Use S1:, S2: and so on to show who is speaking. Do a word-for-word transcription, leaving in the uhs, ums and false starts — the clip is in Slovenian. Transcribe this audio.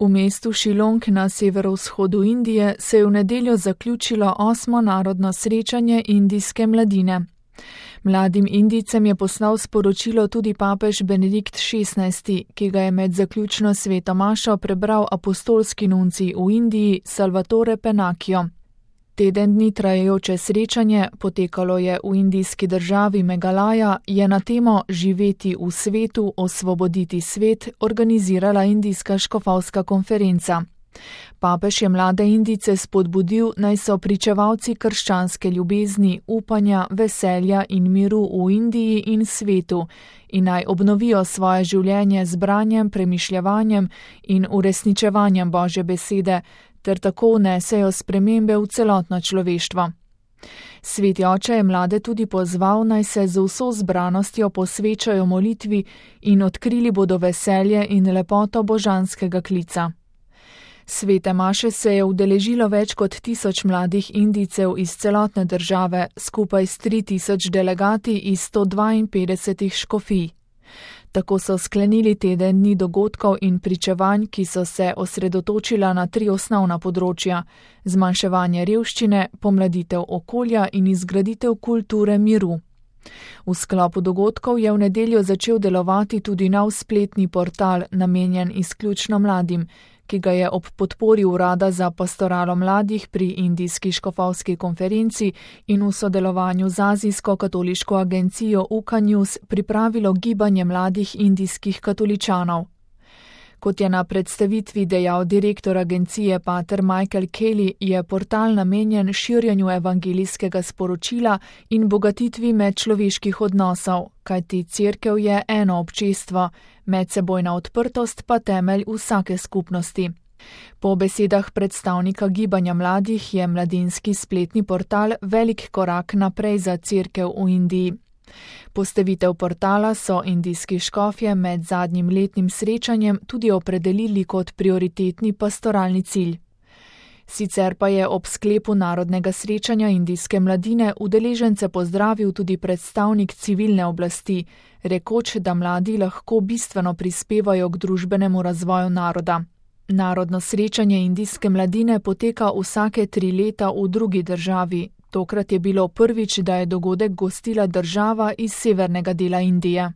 S1: V mestu Shillong na severovzhodu Indije se je v nedeljo zaključilo osmo narodno srečanje indijske mladine. Mladim Indijcem je poslal sporočilo tudi papež Benedikt šestnajsti, ki ga je med zaključno sveto mašo prebral apostolski nuncij v Indiji Salvatore Pennacchio. Teden dni trajajoče srečanje, potekalo je v indijski državi Megalaja, je na temo Živeti v svetu, osvoboditi svet organizirala indijska škofovska konferenca. Papež je mlade Indijce spodbudil, naj so pričevalci krščanske ljubezni, upanja, veselja in miru v Indiji in svetu in naj obnovijo svoje življenje z branjem, premišljevanjem in uresničevanjem Božje besede, ter tako vnesejo spremembe v celotno človeštvo. Sveti oče je mlade tudi pozval, naj se z vso zbranostjo posvečajo molitvi in odkrili bodo veselje in lepoto božanskega klica. Svete maše se je udeležilo več kot tisoč mladih Indijcev iz celotne države, skupaj s tri tisoč delegati iz sto dvainpetdesetih škofij. Tako so sklenili teden dni dogodkov in pričevanj, ki so se osredotočila na tri osnovna področja: zmanjševanje revščine, pomladitev okolja in izgraditev kulture miru. V sklopu dogodkov je v nedeljo začel delovati tudi nov spletni portal, namenjen izključno mladim, ki ga je ob podpori Urada za pastoralo mladih pri Indijski škofovski konferenci in v sodelovanju z azijsko katoliško agencijo U K A News pripravilo gibanje mladih indijskih katoličanov. Kot je na predstavitvi dejal direktor agencije pater Michael Kelly, je portal namenjen širjenju evangelijskega sporočila in bogatitvi medčloveških odnosov, kajti cerkev je eno občestvo, medsebojna odprtost pa temelj vsake skupnosti. Po besedah predstavnika gibanja mladih je mladinski spletni portal velik korak naprej za cerkev v Indiji. Postavitev portala so indijski škofje med zadnjim letnim srečanjem tudi opredelili kot prioritetni pastoralni cilj. Sicer pa je ob sklepu narodnega srečanja indijske mladine udeležence pozdravil tudi predstavnik civilne oblasti, rekoč, da mladi lahko bistveno prispevajo k družbenemu razvoju naroda. Narodno srečanje indijske mladine poteka vsake tri leta v drugi državi. Tokrat je bilo prvič, da je dogodek gostila država iz severnega dela Indije.